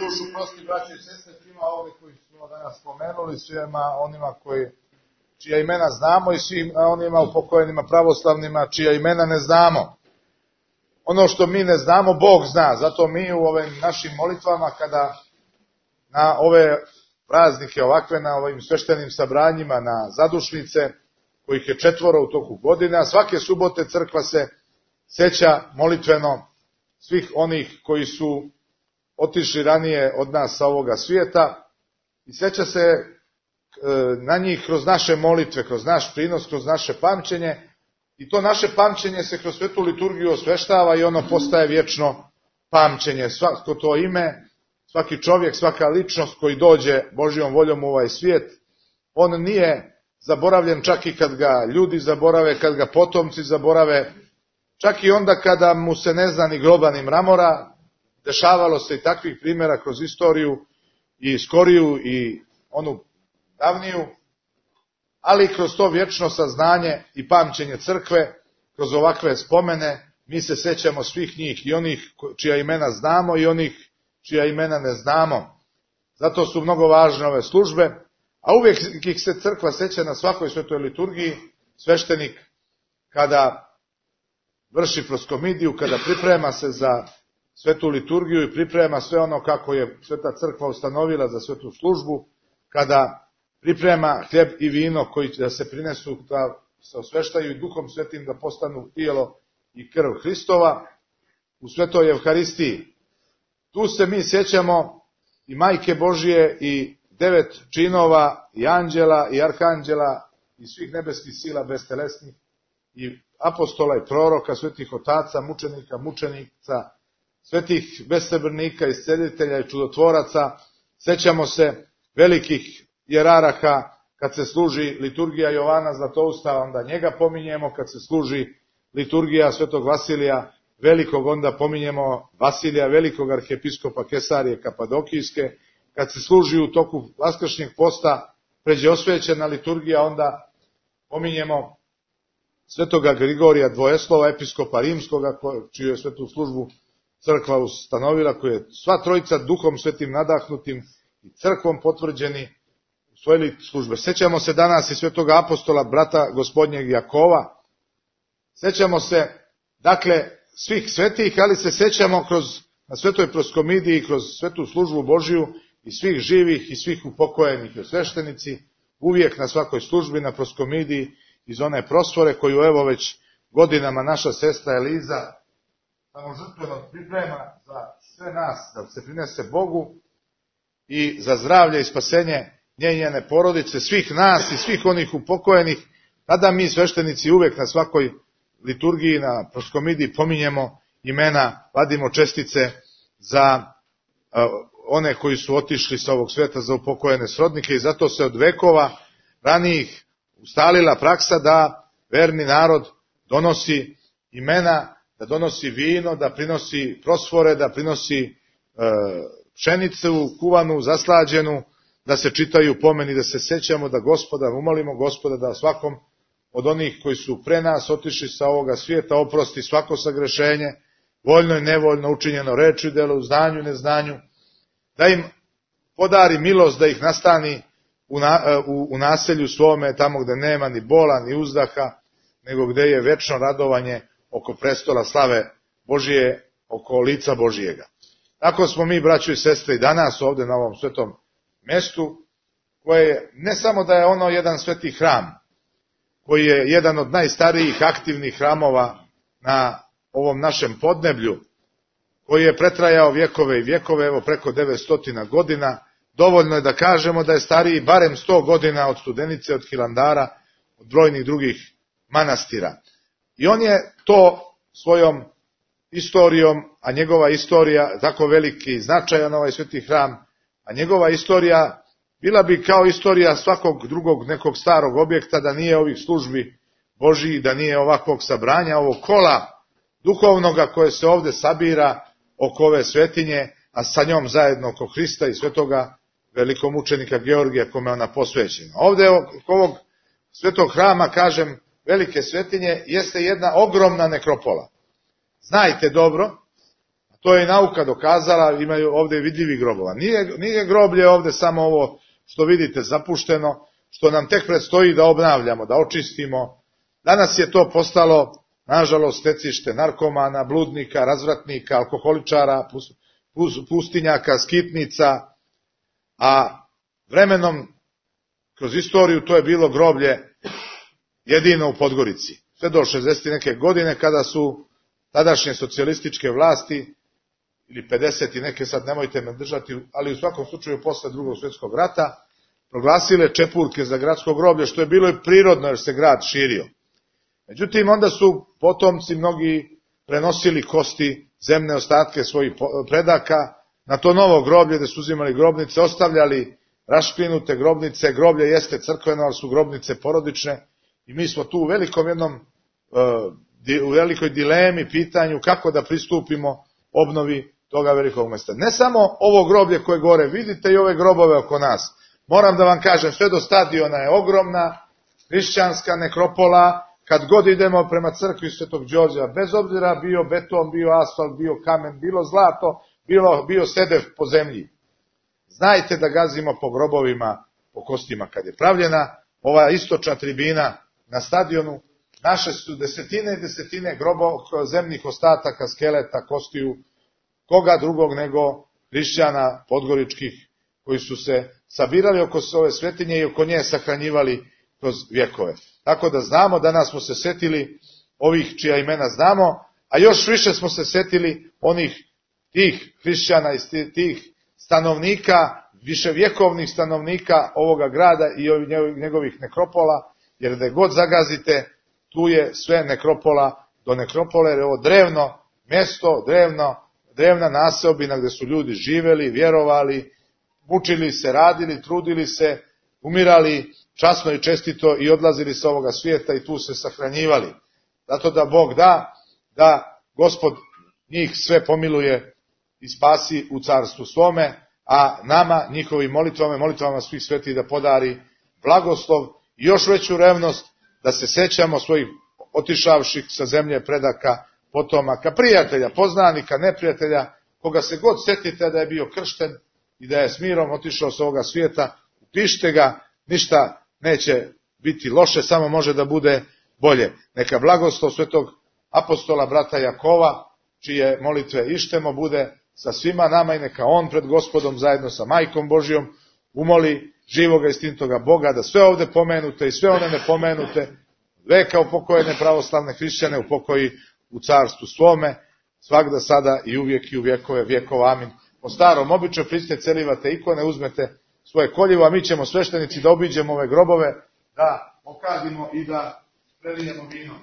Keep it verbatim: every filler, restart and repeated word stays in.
dušu prosti, braći i sestre, svima ovdje koji smo danas spomenuli, svima onima koji, čija imena znamo i svim onima upokojenima pravoslavnima, čija imena ne znamo. Ono što mi ne znamo, Bog zna, zato mi u ovim našim molitvama, kada na ove praznike ovakve, na ovim sveštenim sabranjima, na zadušnice, kojih je četvoro u toku godine, a svake subote crkva se seća molitveno svih onih koji su otišli ranije od nas sa ovoga svijeta i seća se na njih kroz naše molitve, kroz naš prinos, kroz naše pamćenje, i to naše pamćenje se kroz svetu liturgiju osveštava i ono postaje vječno pamćenje. Svako to ime, svaki čovjek, svaka ličnost koji dođe Božjom voljom u ovaj svijet, on nije zaboravljen čak i kad ga ljudi zaborave, kad ga potomci zaborave, čak i onda kada mu se ne zna ni groba ni mramora. Dešavalo se i takvih primjera kroz istoriju, i skoriju i onu davniju, ali kroz to vječno saznanje i pamćenje crkve, kroz ovakve spomene, mi se sećamo svih njih, i onih čija imena znamo i onih čija imena ne znamo. Zato su mnogo važne ove službe, a uvijek ih se crkva seća na svakoj svetoj liturgiji. Sveštenik kada vrši proskomidiju, kada priprema se za svetu liturgiju i priprema sve ono kako je sveta crkva ustanovila za svetu službu, kada priprema hljeb i vino koji da se prinesu, da se osveštaju i Duhom Svetim, da postanu tijelo i krv Hristova u svetoj Evharistiji. Tu se mi sjećamo i Majke Božije i devet činova i anđela i arhanđela i svih nebeskih sila bestelesnih i apostola i proroka, svetih otaca, mučenika, mučenica, svetih besrebrnika, iscelitelja i čudotvoraca. Sećamo se velikih jeraraha, kad se služi liturgija Jovana Zlatousta, onda njega pominjemo, kad se služi liturgija svetog Vasilija Velikog, onda pominjemo Vasilija Velikog, arhijepiskopa Kesarije Kapadokijske. Kad se služi u toku vaskršnjeg posta pređe osvećena liturgija, onda pominjemo svetoga Grigorija Dvojeslova, episkopa Rimskoga, čiju je svetu službu crkva ustanovila, koji je sva trojica Duhom Svetim nadahnutim i crkvom potvrđeni usvojili službe. Sećamo se danas i svetoga apostola, brata gospodnjeg Jakova. Sećamo se, dakle, svih svetih, ali se sećamo kroz, na svetoj proskomidiji, kroz svetu službu Božiju, i svih živih i svih upokojenih i sveštenici, uvijek na svakoj službi, na proskomidiji, iz one prosvore koju evo već godinama naša sestra Eliza samo žrtveno priprema za sve nas, da se prinese Bogu i za zdravlje i spasenje nje i njene porodice, svih nas i svih onih upokojenih. Tada mi sveštenici uvijek na svakoj liturgiji, na proskomidiji pominjemo imena, vadimo čestice za uh, one koji su otišli sa ovog svijeta, za upokojene srodnike, i zato se od vekova ranijih ustalila praksa da verni narod donosi imena, da donosi vino, da prinosi prosvore, da prinosi e, pšenicu kuvanu, zaslađenu, da se čitaju pomeni, da se sećamo, da Gospoda, umolimo Gospoda da svakom od onih koji su pre nas otišli sa ovoga svijeta oprosti svako sagrešenje, voljno i nevoljno učinjeno reči, delu, znanju i neznanju, da im podari milost, da ih nastani u, na, u, u naselju svome, tamo gde nema ni bola, ni uzdaha, nego gde je večno radovanje oko prestola slave Božije, oko lica Božijega. Tako smo mi, braćo i sestre, i danas ovdje na ovom svetom mjestu, koje je, ne samo da je ono jedan sveti hram, koji je jedan od najstarijih aktivnih hramova na ovom našem podneblju, koji je pretrajao vjekove i vjekove, evo preko devetsto godina, dovoljno je da kažemo da je stariji barem sto godina od Studenice, od Hilandara, od brojnih drugih manastira. I on je to svojom istorijom, a njegova istorija, tako veliki i značajan ovaj sveti hram, a njegova istorija bila bi kao istorija svakog drugog nekog starog objekta, da nije ovih službi Božiji, da nije ovakvog sabranja, ovog kola duhovnoga koje se ovdje sabira oko ove svetinje, a sa njom zajedno oko Hrista i svetoga velikog mučenika Georgija kome ona posvećena. Ovdje oko ovog svetog hrama, kažem, velike svetinje, jeste jedna ogromna nekropola. Znajte dobro, To je i nauka dokazala, imaju ovdje vidljivi grobova. Nije, nije groblje ovdje samo ovo što vidite zapušteno, što nam tek predstoji da obnavljamo, da očistimo. Danas je to postalo, nažalost, stecište narkomana, bludnika, razvratnika, alkoholičara, pustinjaka, skitnica, a vremenom, kroz istoriju, to je bilo groblje jedino u Podgorici. Sve do šezdeset neke godine, kada su tadašnje socijalističke vlasti, ili pedeset i neke, sad nemojte me držati, ali u svakom slučaju posle drugog svjetskog rata, proglasile čepurke za gradsko groblje, što je bilo i prirodno jer se grad širio. Međutim, onda su potomci mnogi prenosili kosti, zemne ostatke svojih predaka na to novo groblje gde su uzimali grobnice, ostavljali rašklinute grobnice. Groblje jeste crkveno, ali su grobnice porodične i mi smo tu u velikom jednom, u velikoj dilemi, pitanju kako da pristupimo obnovi toga velikog mesta. Ne samo ovo groblje koje gore vidite i ove grobove oko nas. Moram da vam kažem, sve do stadiona je ogromna hrišćanska nekropola. Kad god idemo prema crkvi Svetog Đorđa, bez obzira bio beton, bio asfalt, bio kamen, bilo zlato, bilo, bio sedev po zemlji. Znajte da gazimo po grobovima, po kostima. Kad je pravljena ova istočna tribina na stadionu, naše su desetine i desetine grobo, zemnih ostataka, skeleta, kostiju, koga drugog nego hrišćana podgoričkih, koji su se sabirali oko ove svetinje i oko nje sahranjivali kroz vjekove. Tako da znamo, danas smo se setili ovih čija imena znamo, a još više smo se setili onih tih hrišćana i tih stanovnika, viševjekovnih stanovnika ovoga grada i njegovih nekropola, jer gde god zagazite, tu je sve nekropola do nekropole, jer je ovo drevno mjesto, drevno, drevna naseobina gde su ljudi živeli, vjerovali, mučili se, radili, trudili se, umirali časno i čestito i odlazili sa ovoga svijeta i tu se sahranjivali. Zato da Bog da, da Gospod njih sve pomiluje i spasi u carstvu svome, a nama, njihovim molitvama, molitvama svih svetih da podari blagoslov i još veću revnost da se sećamo svojih otišavših sa zemlje predaka, potomaka, prijatelja, poznanika, neprijatelja, koga se god setite da je bio kršten i da je s mirom otišao sa ovoga svijeta, upišite ga, ništa neće biti loše, samo može da bude bolje. Neka blagoslov svetog apostola brata Jakova, čije molitve ištemo, bude sa svima nama i neka on pred Gospodom zajedno sa Majkom Božijom umoli živoga istinitoga Boga da sve ovde pomenute i sve one nepomenute veka upokojene pravoslavne hrišćane upokoji u carstvu svome, svagda sada i uvijek i u vjekove vjekova. Amin. Po starom običaju pristite, celivate ikone, uzmete svoje koljevo, a mi ćemo sveštenici da obiđemo ove grobove, da pokadimo i da prelijemo vino.